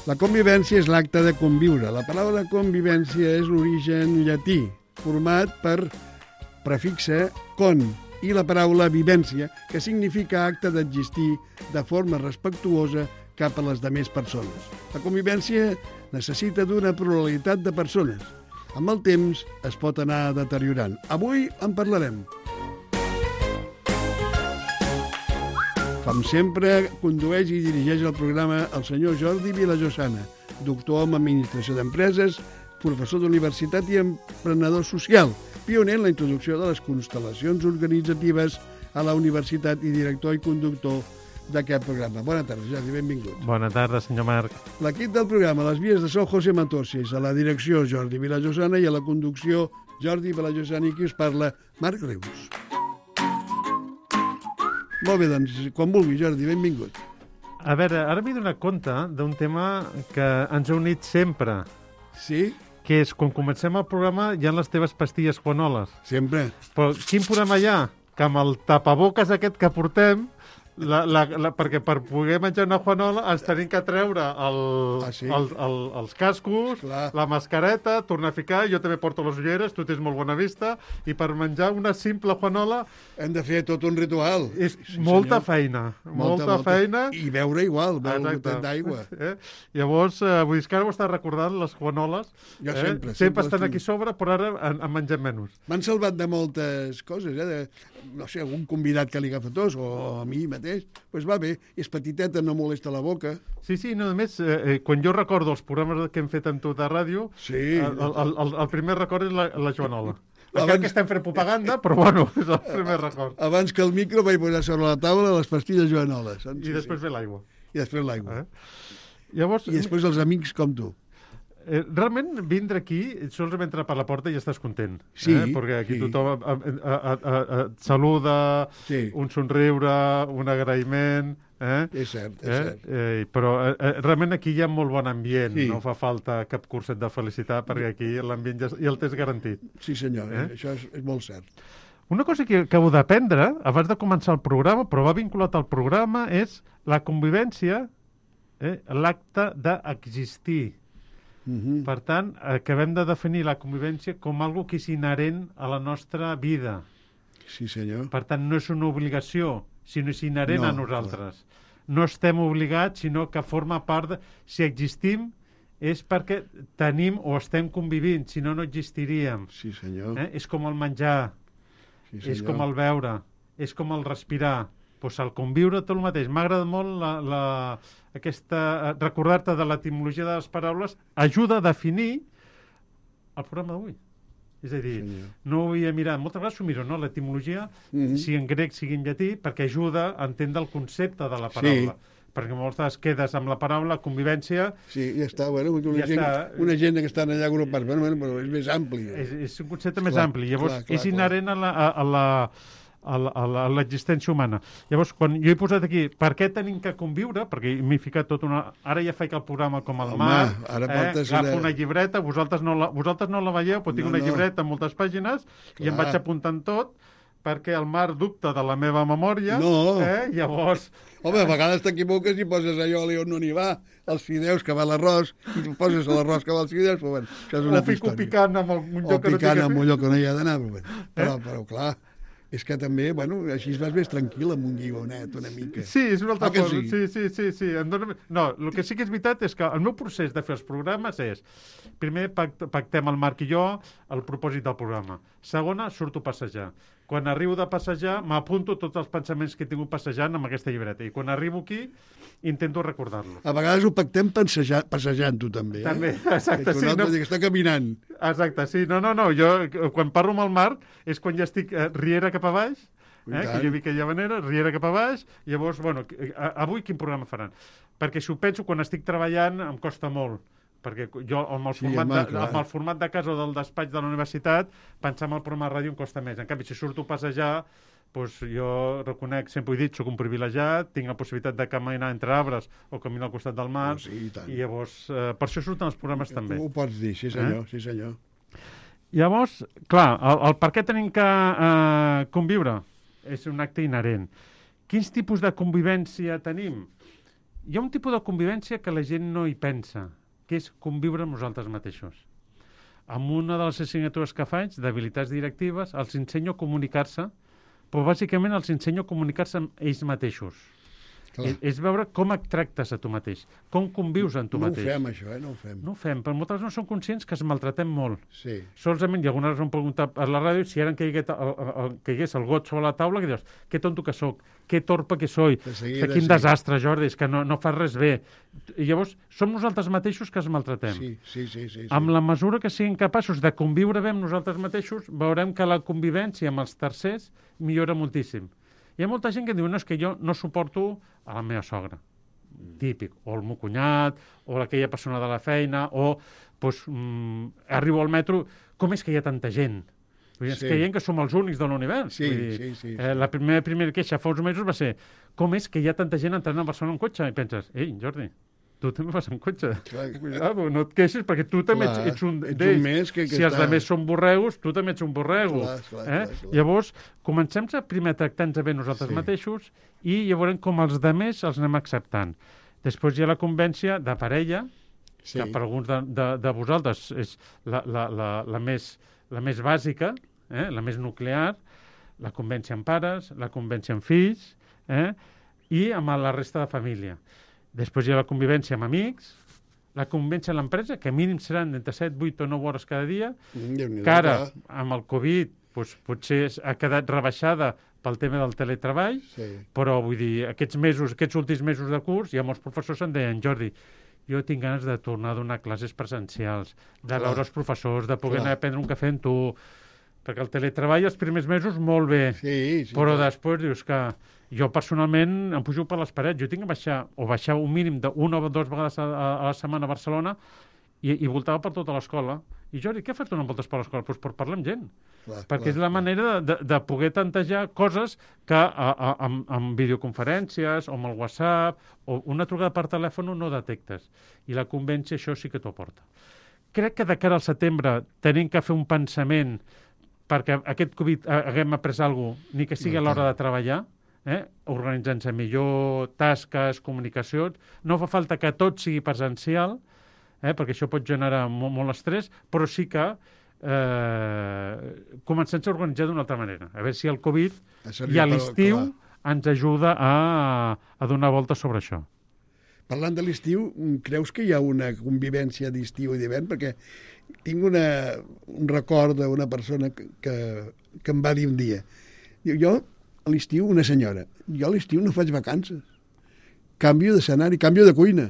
La convivència és l'acte de conviure. La paraula convivència és l'origen llatí, format per prefixe con, i la paraula vivència, que significa acte d'existir de forma respectuosa cap a les demés persones. La convivència necessita d'una pluralitat de persones. Amb el temps es pot anar deteriorant. Avui en parlarem. Com sempre, condueix i dirigeix el programa el senyor Jordi Vilajosana, doctor en Administració d'Empreses, professor d'universitat i emprenedor social, pioner en la introducció de les constel·lacions organitzatives a la universitat i director i conductor d'aquest programa. Bona tarda, Jordi, benvingut. Bona tarda, senyor Marc. L'equip del programa, a les vies de so, José Matossis, a la direcció, Jordi Vilajosana, i a la conducció, Jordi Vilajosana, i qui us parla, Marc Rius. Molt bé, doncs, quan vulgui, Jordi, benvingut. A veure, ara m'he donat compte d'un tema que ens ha unit sempre. Sí? Que és, quan comencem el programa, hi ha les teves pastilles juanoles. Sempre. Però quin problema hi ha? Que amb el tapaboques aquest que portem, perquè per poder menjar una juanola ens tenim que treure els cascos, clar, la mascareta, tornar a ficar, jo també porto les ulleres, tu tens molt bona vista, i per menjar una simple juanola hem de fer tot un ritual. És molta feina. Molta feina. I beure igual, beure un gotet d'aigua. Llavors, vull dir que ara ho estàs recordant, les juanoles. Jo sempre estan aquí sobre, però ara en mengem menys. M'han salvat de moltes coses, no sé, algun convidat que li agafa tos, o a mi mateix. Doncs va bé, és petiteta, no molesta la boca. Sí, només, quan jo recordo els programes que hem fet amb tu de ràdio, sí, el primer record és la joanola. Encara que estem fent propaganda, però bueno, és el primer record. Abans que el micro vaig posar sobre la taula les pastilles joanoles. I després ve l'aigua. I després l'aigua. Llavors, i després els amics com tu. Realment, vindre aquí, sols entrar per la porta i ja estàs content. Sí. Perquè aquí tothom et saluda, un somriure, un agraïment. És cert, és cert. Però realment aquí hi ha molt bon ambient. No fa falta cap curset de felicitat, perquè aquí l'ambient ja el tens garantit. Sí, senyor, això és molt cert. Una cosa que acabo d'aprendre, abans de començar el programa, però va vinculat al programa, és la convivència, l'acte d'existir. Per tant, acabem de definir la convivència com algo que és inherent a la nostra vida. Sí, senyor. Per tant, no és una obligació, sinó és inherent a nosaltres. No estem obligats, sinó que forma part de... Si existim, és perquè tenim o estem convivint, si no, no existiríem. Sí, senyor. És com el menjar, és com el beure, és com el respirar. Doncs el conviure tot el mateix. M'ha agradat molt recordar-te de l'etimologia de les paraules, ajuda a definir el programa d'avui. És a dir, no ho havia mirat. Moltes vegades s'ho miro, no? L'etimologia, sigui en grec, sigui en llatí, perquè ajuda a entendre el concepte de la paraula. Perquè moltes vegades quedes amb la paraula convivència... Sí, ja està, una gent que estan allà agrupats, però és més ampli. És un concepte més ampli. Llavors, és inherent a l'existència humana. Llavors, quan jo he posat aquí per què tenim que conviure, perquè m'he ficat tot una... Ara ja faig el programa com el Marc, agafo una llibreta, vosaltres no la veieu, però tinc una llibreta amb moltes pàgines i em vaig apuntant tot, perquè el Marc dubta de la meva memòria. Llavors... Home, a vegades t'equivoques i poses allò on no n'hi va, els fideus que va l'arròs, i tu poses l'arròs que va els fideus, però bueno, això és una altra història. O fico picant amb un lloc que no picant amb un lloc que no hi ha d'anar, però clar... És que també, així vas més tranquil amb un guionet una mica. Sí, és una altra cosa. Sí. No, el que sí que és veritat és que el meu procés de fer els programes és, primer pactem el Marc i jo el propòsit del programa. Segona, surto a passejar. Quan arribo de passejar, m'apunto tots els pensaments que he tingut passejant amb aquesta llibreta. I quan arribo aquí, intento recordar-los. A vegades ho pactem passejant, tu també. També, exacte. Sí, no? Que està caminant. Exacte, sí. No. Jo, quan parlo amb el Marc, és quan ja estic riera cap a baix, que jo vi aquella manera, riera cap a baix, llavors, avui quin programa faran? Perquè si ho penso, quan estic treballant, em costa molt. Perquè jo, amb el format de casa o del despatx de la universitat, pensar en el programa de ràdio em costa més. En canvi, si surto a passejar, doncs jo reconec, sempre ho he dit, soc un privilegiat, tinc la possibilitat de caminar entre arbres o caminar al costat del mar, i llavors, per això surten els programes també. Ho pots dir, sí senyor. Llavors, clar, el per què tenim que conviure és un acte inherent. Quins tipus de convivència tenim? Hi ha un tipus de convivència que la gent no hi pensa, que és conviure amb nosaltres mateixos. Amb una de les assignatures que faig, d'habilitats directives, els ensenyo a comunicar-se, però bàsicament els ensenyo a comunicar-se amb ells mateixos. És veure com et tractes a tu mateix, com convius amb tu mateix. No ho fem, això, no ho fem. No ho fem, però moltes no som conscients que es maltratem molt. Sí. Solament, i algunes vegades m'han preguntat a la ràdio si ara caigués el got sobre la taula, que dius, que tonto que sóc, que torpe que soy, que quin desastre, Jordi, és que no fas res bé. I llavors, som nosaltres mateixos que es maltratem. Sí. Amb la mesura que siguin capaços de conviure bé amb nosaltres mateixos, veurem que la convivència amb els tercers millora moltíssim. Hi ha molta gent que diu, no, és que jo no suporto a la meva sogra. Típic. O el meu cunyat, o aquella persona de la feina, o arribo al metro, com és que hi ha tanta gent? És que hi ha que som els únics de l'univers. Sí. La primera queixa fa uns mesos va ser, com és que hi ha tanta gent entrant a Barcelona en cotxe? I penses, ei, Jordi, tu també vas en cotxe. Cuidado, no et queixis, perquè tu també ets un d'ells. Si els altres són borregos, tu també ets un borrego. Clar. Llavors, comencem primer a tractar-nos bé nosaltres mateixos i llavors com els altres els anem acceptant. Després hi ha la convivència de parella, que per alguns de vosaltres és la més bàsica, la més nuclear, la convivència amb pares, la convivència amb fills, i amb la resta de família. Després hi ha la convivència amb amics, la convivència a l'empresa, que mínim seran entre 7, 8 o 9 hores cada dia, que ara, amb el Covid, potser ha quedat rebaixada pel tema del teletreball, però vull dir, aquests últims mesos de curs, hi ha molts professors que em deien, Jordi, jo tinc ganes de tornar a donar classes presencials, de veure els professors, de poder anar a prendre un cafè amb tu, perquè el teletreball els primers mesos molt bé, però després dius que jo personalment em pujo per les parets, jo tinc que baixar un mínim d'una o dues vegades a la setmana a Barcelona i voltava per tota l'escola. I Jordi, què fas donant voltes per l'escola? Doncs per parlar amb gent, perquè és la manera de poder tantejar coses que amb videoconferències o amb el WhatsApp o una trucada per telèfon no detectes. I la convivència això sí que t'ho aporta. Crec que de cara al setembre tenim que fer un pensament perquè aquest Covid haguem après alguna cosa, ni que sigui a l'hora de treballar, organitzant-se millor, tasques, comunicacions. No fa falta que tot sigui presencial, perquè això pot generar molt estrès, però sí que comencem-se a organitzar d'una altra manera. A veure si el Covid i a l'estiu ens ajuda a donar voltes sobre això. Parlant de l'estiu, creus que hi ha una convivència d'estiu i d'hivern? Perquè tinc un record d'una persona que em va dir un dia. Jo, a l'estiu, una senyora, jo a l'estiu no faig vacances. Canvio d'escenari, canvio de cuina.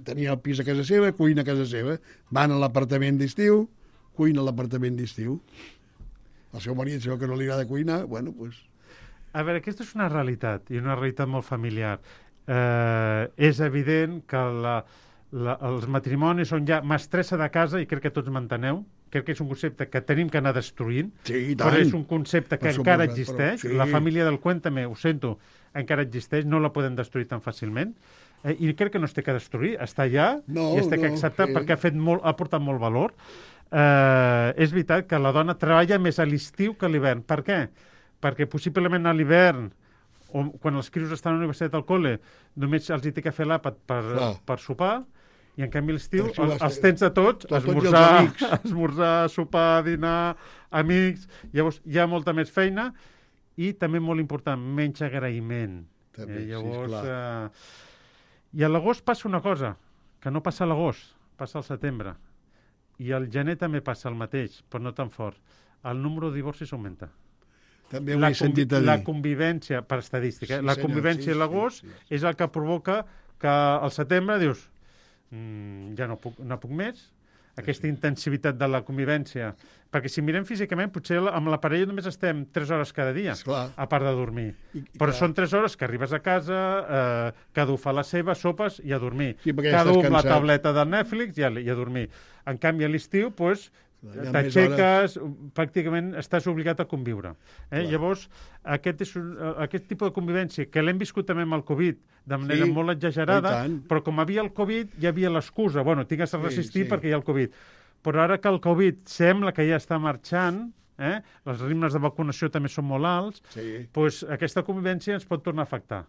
Tenia el pis a casa seva, cuina a casa seva. Van a l'apartament d'estiu, cuina a l'apartament d'estiu. El seu marit, si veu que no li agrada cuinar, bueno, doncs... A veure, aquesta és una realitat, i una realitat molt familiar. És evident que els matrimonis són ja mestressa de casa, i crec que tots m'enteneu. Crec que és un concepte que tenim que anar destruint, però és un concepte que encara existeix. La família del Cuen també, ho sento, encara existeix, no la podem destruir tan fàcilment. I crec que no es té que destruir, està allà i es té que acceptar perquè ha portat molt valor. És veritat que la dona treballa més a l'estiu que a l'hivern. Per què? Perquè possiblement a l'hivern, o quan els crios estan a la universitat al col·le, només els hi té que fer l'àpat per sopar, i en canvi l'estiu els tens de tots, esmorzar, sopar, dinar, amics, llavors hi ha molta més feina i també molt important, menys agraïment. I a l'agost passa una cosa, que no passa a l'agost, passa al setembre, i al gener també passa el mateix, però no tan fort. El número de divorcis augmenta. També ho he sentit a dir. La convivència, per estadística, la convivència a l'agost és el que provoca que al setembre dius ja no puc més, aquesta intensitat de la convivència. Perquè si mirem físicament, potser amb la parella només estem 3 hores cada dia, a part de dormir. Però són 3 hores que arribes a casa, cada un fa la seva, sopes i a dormir. Cada un amb la tableta del Netflix i a dormir. En canvi, a l'estiu, t'aixeques, pràcticament estàs obligat a conviure. Llavors, aquest tipus de convivència, que l'hem viscut també amb el Covid, de manera molt exagerada, però com havia el Covid, hi havia l'excusa. Bueno, tinc de resistir perquè hi ha el Covid. Però ara que el Covid sembla que ja està marxant, els ritmes de vacunació també són molt alts, doncs aquesta convivència ens pot tornar a afectar.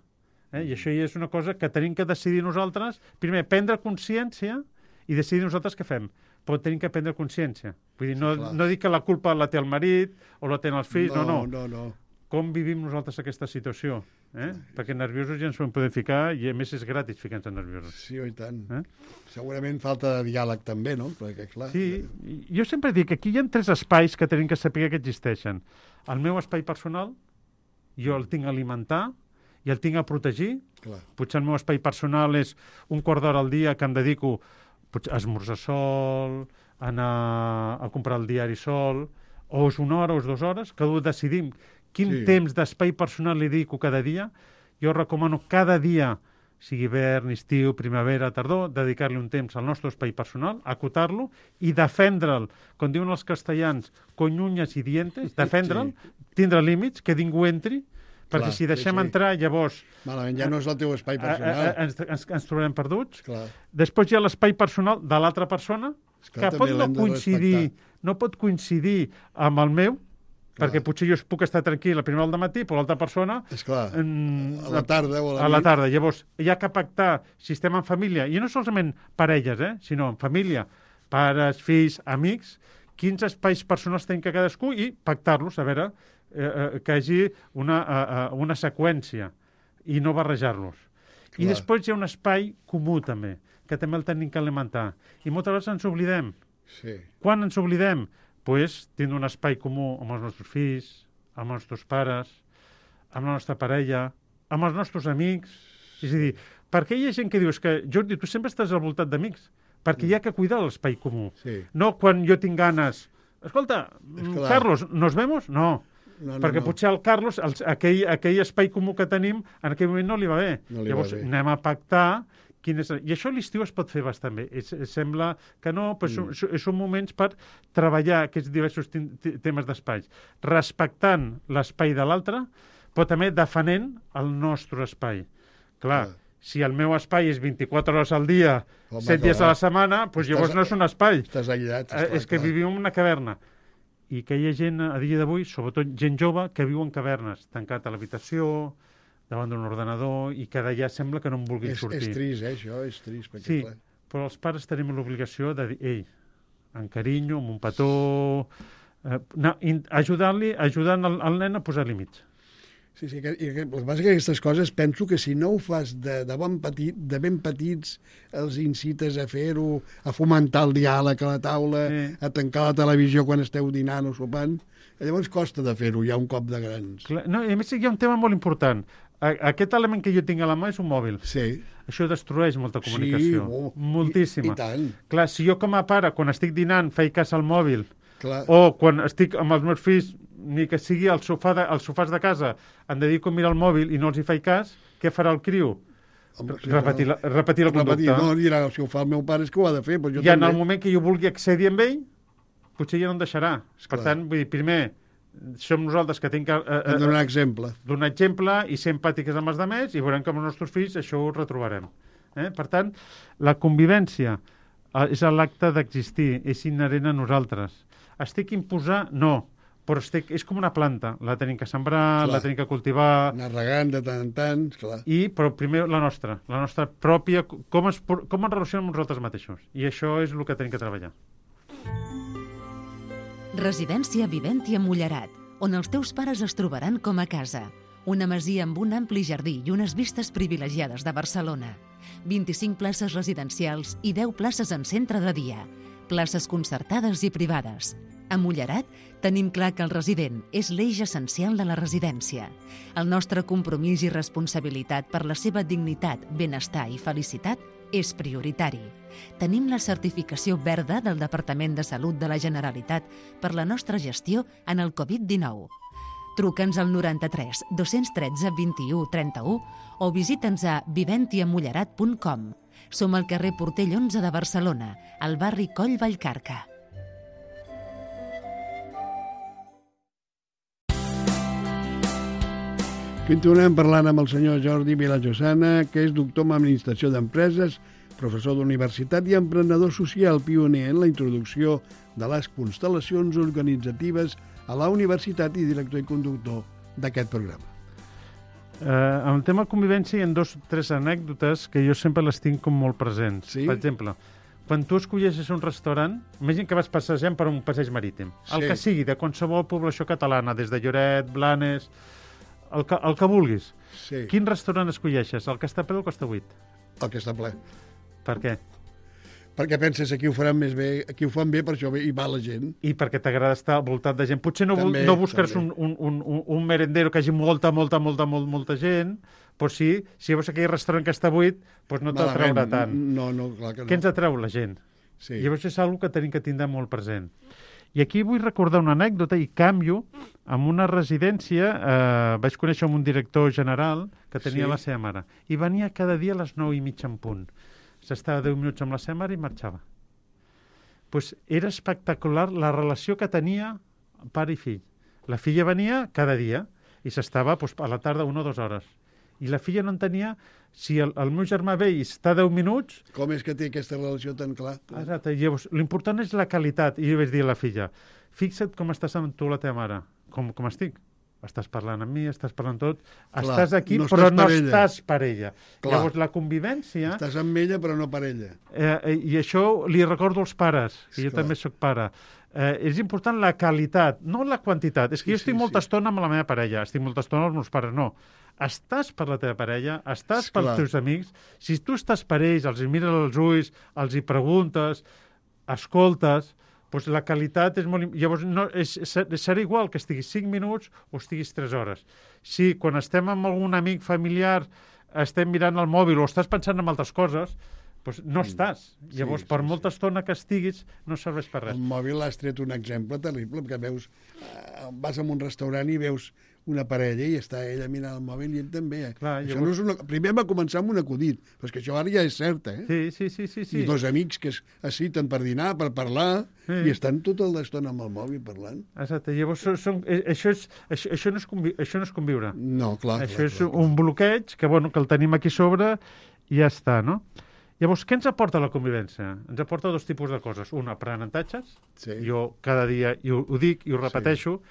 I això ja és una cosa que tenim que decidir nosaltres, primer, prendre consciència i decidir nosaltres què fem. Però tenim que prendre consciència. Vull dir, no dic que la culpa la té el marit o la tenen els fills, no. Com vivim nosaltres aquesta situació? Perquè nerviosos ja ens ho podem ficar i a més és gratis ficar-nos nerviosos. Sí, i tant. Segurament falta de diàleg també, no? Perquè, clar... Sí, jo sempre dic que aquí hi ha 3 espais que tenim que saber que existeixen. El meu espai personal, jo el tinc a alimentar i el tinc a protegir. Clar. Potser el meu espai personal és un quart d'hora al dia que em dedico a esmorzar sol, a anar a comprar el diari sol, o és 1 hora o és 2 hores, que decidim quin temps d'espai personal li dedico cada dia. Jo recomano cada dia, sigui hivern, estiu, primavera, tardor, dedicar-li un temps al nostre espai personal, acotar-lo i defendre'l, com diuen els castellans, con uñas y dientes, defendre'l, tindre límits, que ningú entri, perquè si deixem entrar, llavors... Malament, ja no és el teu espai personal. Ens trobarem perduts. Clar. Després hi ha l'espai personal de l'altra persona, que no pot coincidir amb el meu, perquè potser jo puc estar tranquil a primera hora del matí, però l'altra persona... Esclar, a la tarda o a la tarda. Llavors, hi ha que pactar si estem en família, i no solament parelles, sinó en família, pares, fills, amics, quins espais personals tenim que cadascú i pactar-los, a veure, que hi hagi una seqüència i no barrejar-los. I després hi ha un espai comú, també, que també el tenim que alimentar. I moltes vegades ens oblidem. Sí. Quan ens oblidem? Doncs tindre un espai comú amb els nostres fills, amb els nostres pares, amb la nostra parella, amb els nostres amics. És a dir, perquè hi ha gent que diu que, Jordi, tu sempre estàs al voltant d'amics, perquè hi ha que cuidar l'espai comú. Sí. No quan jo tinc ganes... Escolta, Carlos, ¿nos vemos? No. Perquè potser al Carlos, aquell espai comú que tenim, en aquell moment no li va bé. Llavors anem a pactar... I això a l'estiu es pot fer bastant bé. Sembla que no, però són moments per treballar aquests diversos temes d'espais, respectant l'espai de l'altre, però també defenent el nostre espai. Clar, si el meu espai és 24 hores al dia, 7 dies a la setmana, doncs llavors no és un espai. Estàs aïllat. És que vivim en una caverna. I que hi ha gent a dia d'avui, sobretot gent jove, que viu en cavernes, tancat a l'habitació, davant d'un ordenador, i que d'allà sembla que no en vulguin sortir. És trist, això, és trist. Sí, però els pares tenim l'obligació de dir, ei, amb carinyo, amb un petó, ajudant el nen a posar límits. Sí, el que passa és que aquestes coses penso que si no ho fas de ben petits, els incites a fer-ho, a fomentar el diàleg a la taula, a tancar la televisió quan esteu dinant o sopant, llavors costa de fer-ho ja un cop de grans. No, i a més hi ha un tema molt important. Aquest element que jo tinc a la mà és un mòbil. Sí. Això destrueix molta comunicació. Sí, moltíssima. I tant. Clar, si jo com a pare, quan estic dinant, faig cas al mòbil, o quan estic amb els meus fills, ni que sigui als sofàs de casa, em dedico a mirar el mòbil i no els hi faig cas, què farà el criu? Repetir la conducta. No, dirà, si ho fa el meu pare és que ho ha de fer. I en el moment que jo vulgui accedir amb ell, potser ja no em deixarà. Per tant, vull dir, primer, som nosaltres que tenim que... donar exemple. Donar exemple i ser empàtiques amb els altres i veurem que amb els nostres fills això ho retrobarem. Per tant, la convivència és l'acte d'existir, és inherent a nosaltres. Estic imposar? No, però és com una planta. La tenim que sembrar, la tenim que cultivar... Anar regant de tant en tant, clar. Però primer la nostra pròpia... Com ens relacionem amb nosaltres mateixos. I això és el que tenim que treballar. Residència Viventi a Mullerat, on els teus pares es trobaran com a casa. Una masia amb un ampli jardí i unes vistes privilegiades de Barcelona. 25 places residencials i 10 places en centre de dia. Places concertades i privades. A Mullerat tenim clar que el resident és l'eix essencial de la residència. El nostre compromís i responsabilitat per la seva dignitat, benestar i felicitat és prioritari. Tenim la certificació verda del Departament de Salut de la Generalitat per la nostra gestió en el Covid-19. Truca'ns al 93 213 21 31 o visita'ns a viventiamullerat.com. Som al carrer Portell 11 de Barcelona, al barri Coll Vallcarca. Continuem parlant amb el senyor Jordi Vilajosana, que és doctor en Administració d'Empreses, professor d'universitat i emprenedor social, pioner en la introducció de les constel·lacions organitzatives a la universitat i director i conductor d'aquest programa. En el tema convivència hi ha 2 o 3 anècdotes que jo sempre les tinc com molt presents. Sí? Per exemple, quan tu escolleixes un restaurant, imagina que vas passejant per un passeig marítim, el que sigui, de qualsevol població catalana, des de Lloret, Blanes, el que vulguis. Sí. Quin restaurant escolleixes? El que està ple o el que està buit? El que està ple. Per què? Perquè penses aquí ho faran més bé, aquí ho fan bé, per això hi va la gent. I perquè t'agrada estar al voltant de gent. Potser no busques un merendero que hagi molta gent, però sí, si veus aquell restaurant que està buit, doncs no t'atraurà tant. No, clar que no. Què ens atreu? La gent. Sí. Llavors és una cosa que tenim que tindre molt present. I aquí vull recordar una anècdota i canvio amb una residència. Vaig conèixer un director general que tenia la seva mare i venia cada dia a les 9:30 en punt. S'estava 10 minuts amb la seva mare i marxava. Pues era espectacular la relació que tenia pare i fill. La filla venia cada dia i s'estava a la tarda 1 o 2 hores. I la filla no entenia si el meu germà ve i està 10 minuts... Com és que té aquesta relació tan clar? Exacte. Llavors, l'important és la qualitat. I jo vaig dir a la filla, fixa't com estàs amb tu la teva mare. Com estic? Estàs parlant amb mi, estàs parlant tot, estàs aquí, però no estàs per ella. Llavors, la convivència... Estàs amb ella, però no per ella. I això li recordo als pares, que jo també sóc pare. És important la qualitat, no la quantitat. És que jo estic molta estona amb la meva parella, estic molta estona amb els meus pares, no. Estàs per la teva parella, estàs pels teus amics. Si tu estàs per ells, els mires als ulls, els hi preguntes, escoltes... Doncs la qualitat és molt... Llavors, serà igual que estiguis 5 minuts o estiguis 3 hores. Si quan estem amb algun amic familiar estem mirant el mòbil o estàs pensant en altres coses, doncs no estàs. Llavors, per molta estona que estiguis, no serveix per res. El mòbil has tret un exemple terrible, perquè veus... Vas a un restaurant i veus una parella i està ella mirant el mòbil i ell també. Clar, això no és primer va començar amb un acudit, però és que això ara ja és cert, Sí. I 2 amics que es citen per dinar, per parlar, i estan tota l'estona amb el mòbil parlant. Exacte. Llavors, això no és conviure. No, clar. Això és un bloqueig que el tenim aquí sobre i ja està, no? Llavors, què ens aporta la convivència? Ens aporta 2 tipus de coses. Un, aprenentatges. Jo cada dia ho dic i ho repeteixo.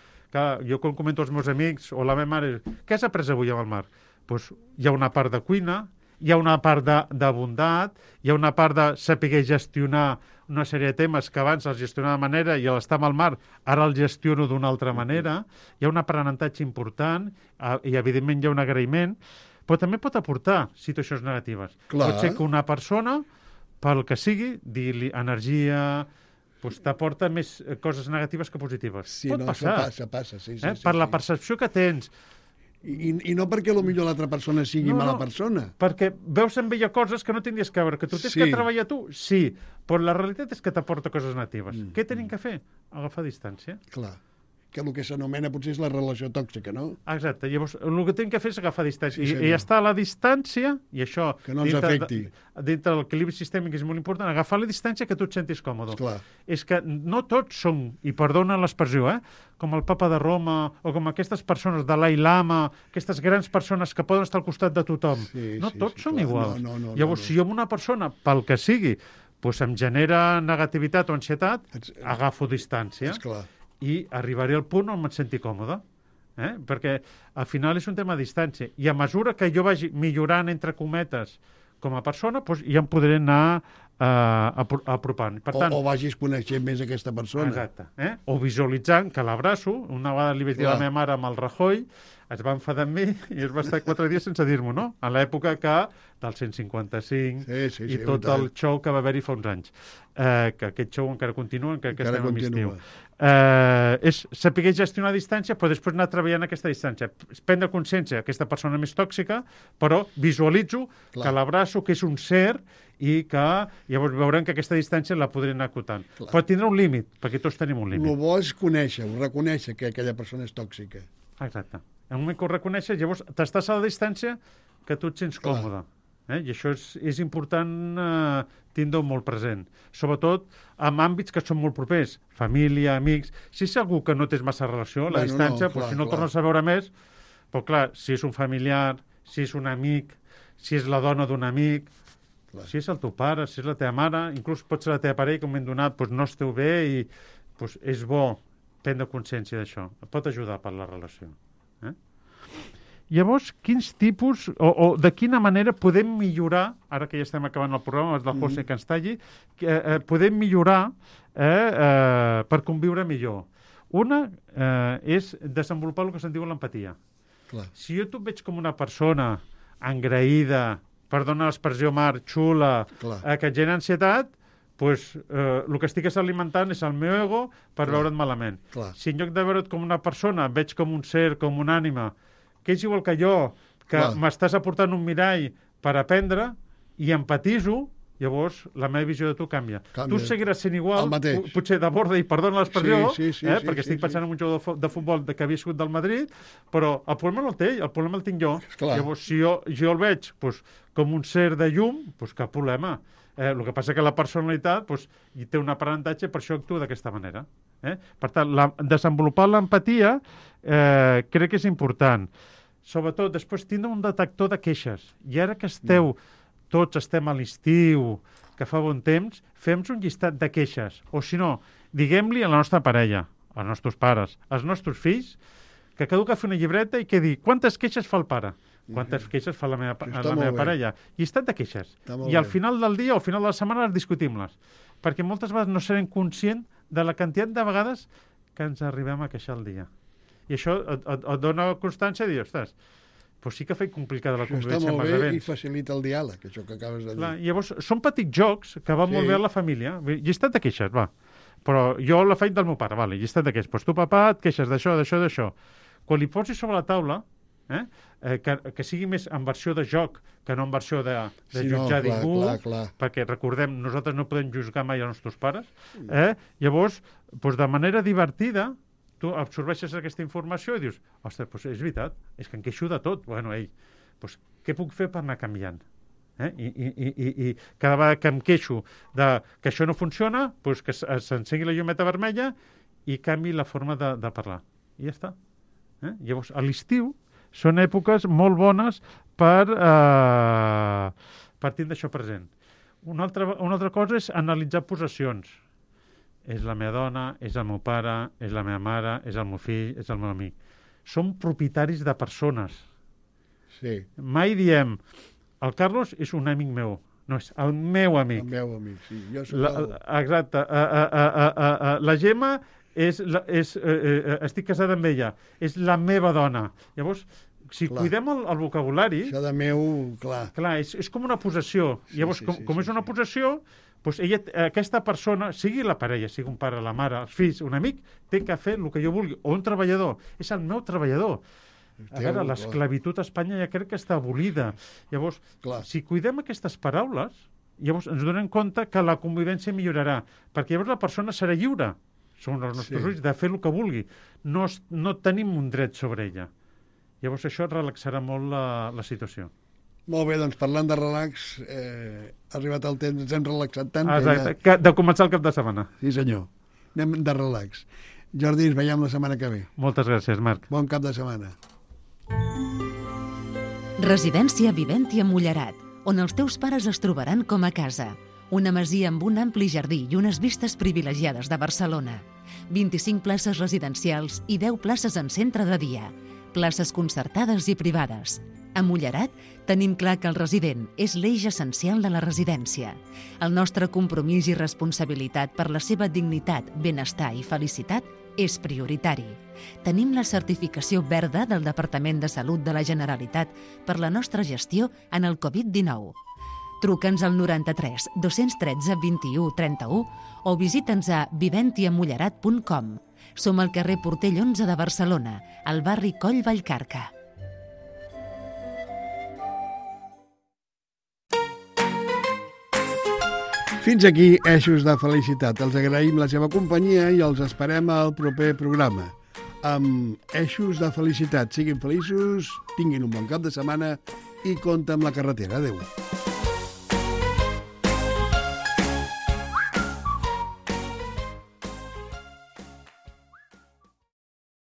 Jo quan comento als meus amics o la meva mare, què has après avui amb el Marc? Doncs hi ha una part de cuina, hi ha una part de bondat, hi ha una part de saber gestionar una sèrie de temes que abans els gestionava de manera i l'estar amb el mar, ara el gestiono d'una altra manera. Hi ha un aprenentatge important i, evidentment, hi ha un agraïment, però també pot aportar situacions negatives. Pot ser que una persona, pel que sigui, dir-li energia... doncs t'aporta més coses negatives que positives. Pot passar. Passa, sí. Per la percepció que tens. I no perquè potser l'altra persona sigui mala persona. Perquè veus en ella coses que no tindries que veure. Que tu tens que treballar tu, sí. Però la realitat és que t'aporta coses negatives. Què tenim que fer? Agafar distància. Clar. Que el que s'anomena potser és la relació tòxica, no? Exacte. Llavors, el que tenim que fer és agafar distància. I estar a la distància, i això... Que no ens afecti. Dintre de l'equilibri sistèmic és molt important, agafar la distància que tu et sentis còmode. Clar. És que no tots són, i perdona l'expressió, com el papa de Roma, o com aquestes persones de Dalai Lama, aquestes grans persones que poden estar al costat de tothom. Tots som iguals. Llavors, si jo amb una persona, pel que sigui, em genera negativitat o ansietat, agafo distància. Esclar. I arribaré al punt on me'n senti còmode. Perquè al final és un tema de distància. I a mesura que jo vagi millorant, entre cometes, com a persona, ja em podré anar apropant. Per tant, o vagis coneixent més aquesta persona. Exacte. O visualitzant que l'abraço. Una vegada li vaig dir a la meva mare amb el Rajoy, es va enfadar amb mi i es va estar 4 dies sense dir-m'ho, no? A l'època del 155 i tot el show que va haver-hi fa uns anys. Que aquest show encara continua, encara que estem a l'estiu. És saber gestionar a distància, però després anar treballant aquesta distància. Prendre consciència aquesta persona més tòxica, però visualitzo que l'abraço, que és un ser, i que llavors veurem que aquesta distància la podré anar acotant. Però tindrà un límit, perquè tots tenim un límit. El bo és reconèixer que aquella persona és tòxica. Exacte. En un moment que ho reconeixes, llavors t'estàs a la distància que tu et sents còmode. I això és important tindre-ho molt present. Sobretot en àmbits que són molt propers. Família, amics... Si és algú que no tens massa relació, la distància, si no el tornes a veure més... Però clar, si és un familiar, si és un amic, si és la dona d'un amic... Si és el teu pare, si és la teva mare, inclús pot ser la teva parella, que en un moment donat no esteu bé i és bo prendre consciència d'això. Pot ajudar per la relació. Llavors, quins tipus o de quina manera podem millorar, ara que ja estem acabant el programa, és del José que ens talli, podem millorar per conviure millor. Una és desenvolupar el que se'n diu l'empatia. Si jo et veig com una persona engraïda, perdona l'expressió, Marc, xula, que et genera ansietat, doncs el que estic alimentant és el meu ego per veure't malament. Si en lloc de veure't com una persona veig com un ser, com una ànima, que és igual que jo, que m'estàs aportant un mirall per aprendre i empatizo, llavors la meva visió de tu canvia. Tu seguiràs sent igual, potser de borda, i perdona l'expressió, perquè estic pensant en un jugador de futbol que havia sigut del Madrid, però el problema no el té ell, el problema el tinc jo. Llavors, si jo el veig com un ser de llum, cap problema. El que passa que la personalitat hi té un aprenentatge, per això actua d'aquesta manera. Per tant, desenvolupar l'empatia crec que és important. Sobretot, després, tindre un detector de queixes. I ara que tots estem a l'estiu, que fa bon temps, fem un llistat de queixes. O si no, diguem-li a la nostra parella, als nostres pares, als nostres fills, que cada un que fa una llibreta i que digui quantes queixes fa el pare, quantes queixes fa la meva parella. Llistat de queixes. I al final del dia o al final de la setmana les discutim-les. Perquè moltes vegades no serem conscients de la quantitat de vegades que ens arribem a queixar al dia. I això et dona constància de dir, ostres, doncs sí que fa complicada la convivència amb els events. Està molt bé i facilita el diàleg, això que acabes de dir. Llavors, són petits jocs que van molt bé a la família. Llistat de queixes, va. Però jo la faig del meu pare, vale, llistat de queixes. Doncs tu, papà, et queixes d'això, d'això, d'això. Quan li posis sobre la taula, que sigui més en versió de joc que no en versió de jutjar ningú, perquè recordem, nosaltres no podem juzgar mai els nostres pares, llavors, de manera divertida, tu absorbeixes aquesta informació i dius, ostres, és veritat, és que em queixo de tot. Bueno, què puc fer per anar canviant? I cada vegada que em queixo que això no funciona, que s'encengui la llumeta vermella i canvi la forma de parlar. I ja està. Llavors, a l'estiu són èpoques molt bones per tindre això present. Una altra cosa és analitzar possessions. És la meva dona, és el meu pare, és la meva mare, és el meu fill, és el meu amic. Som propietaris de persones. Mai diem, el Carlos és un amic meu. No, és el meu amic. El meu amic, sí. Jo soc exacte. La Gemma estic casada amb ella. És la meva dona. Llavors, si cuidem el vocabulari... Això de meu, clar. Clar, és com una possessió. Llavors, com és una possessió, aquesta persona, sigui la parella, sigui un pare, la mare, els fills, un amic, té que fer el que jo vulgui. O un treballador. És el meu treballador. A veure, l'esclavitud a Espanya ja crec que està abolida. Llavors, si cuidem aquestes paraules, llavors ens donem compte que la convivència millorarà. Perquè llavors la persona serà lliure. Són els nostres ulls de fer el que vulgui. No tenim un dret sobre ella. Llavors això relaxarà molt la situació. Molt bé, doncs parlant de relax, ha arribat el temps, ens hem relaxat tant. Exacte, de començar el cap de setmana. Sí, senyor. Anem de relax. Jordi, ens veiem la setmana que ve. Moltes gràcies, Marc. Bon cap de setmana. Residència Viventi a Mollerat, on els teus pares es trobaran com a casa. Una masia amb un ampli jardí i unes vistes privilegiades de Barcelona. 25 places residencials i 10 places en centre de dia. Places concertades i privades. A Mollerat tenim clar que el resident és l'eix essencial de la residència. El nostre compromís i responsabilitat per la seva dignitat, benestar i felicitat és prioritari. Tenim la certificació verda del Departament de Salut de la Generalitat per la nostra gestió en el Covid-19. Truca'ns al 93 213 21 31 o visita'ns a viventiamollerat.com. Som al carrer Portell 11 de Barcelona, al barri Coll Vallcarca. Fins aquí Eixos de Felicitat. Els agraïm la seva companyia i els esperem al proper programa. Amb Eixos de Felicitat. Siguin feliços, tinguin un bon cap de setmana i compte amb la carretera. Adéu.